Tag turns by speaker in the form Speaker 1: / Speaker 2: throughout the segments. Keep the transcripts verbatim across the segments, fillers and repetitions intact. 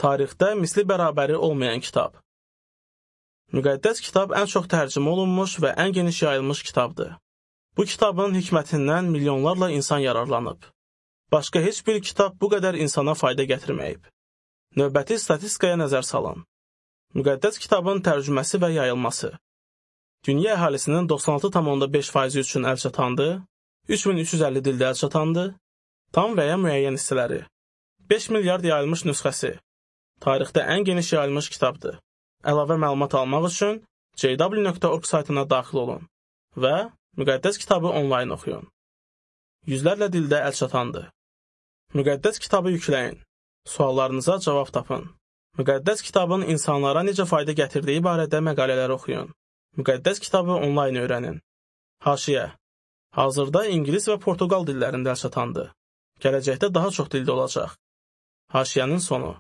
Speaker 1: Tarixdə misli bərabəri olmayan kitab. Müqəddəs kitab ən çox tərcümə olunmuş və ən geniş yayılmış kitabdır. Bu kitabın hikmətindən milyonlarla insan yararlanıb. Başqa heç bir kitab bu qədər insana fayda gətirməyib. Növbəti statistikaya nəzər salın. Müqəddəs kitabın tərcüməsi və yayılması. Dünya əhalisinin doxsan altı tam onda beş faizi üçün əl çatandı, üç min üç yüz əlli dildə əl çatandı, tam və ya müəyyən hissələri. beş milyard yayılmış nüsxəsi. Tarixdə ən geniş yayılmış kitabdır. Əlavə məlumat almaq üçün j w nöqtə org saytına daxil olun və müqəddəs kitabı onlayn oxuyun. Yüzlərlə dildə əl çatandır. Müqəddəs kitabı yükləyin. Suallarınıza cavab tapın. Müqəddəs kitabın insanlara necə fayda gətirdiyi barədə məqalələr oxuyun. Müqəddəs kitabı onlayn öyrənin. Haşiyə. Hazırda ingilis və portuqal dillərində əl çatandır. Gələcəkdə daha çox dildə olacaq. Haşiyənin sonu.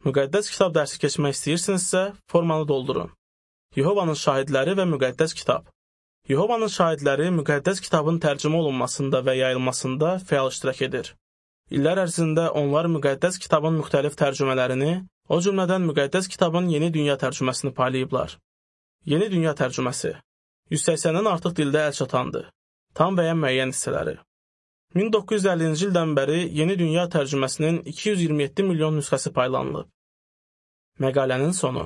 Speaker 1: Müqəddəs kitab dərsi keçmək istəyirsinizsə, formanı doldurun. Yehovanın şahidləri və müqəddəs kitab. Yehovanın şahidləri müqəddəs kitabın tərcümə olunmasında və yayılmasında fəal iştirak edir. İllər ərzində onlar müqəddəs kitabın müxtəlif tərcümələrini, o cümlədən müqəddəs kitabın yeni dünya tərcüməsini paylayıblar. Yeni dünya tərcüməsi. yüz səksəndən artıq dildə əl çatandır. Tam və ya müəyyən hissələri. min doqquz yüz əllinci ildən bəri Yeni Dünya tərcüməsinin iki yüz iyirmi yeddi milyon nüsxəsi paylanılıb. Məqalənin sonu.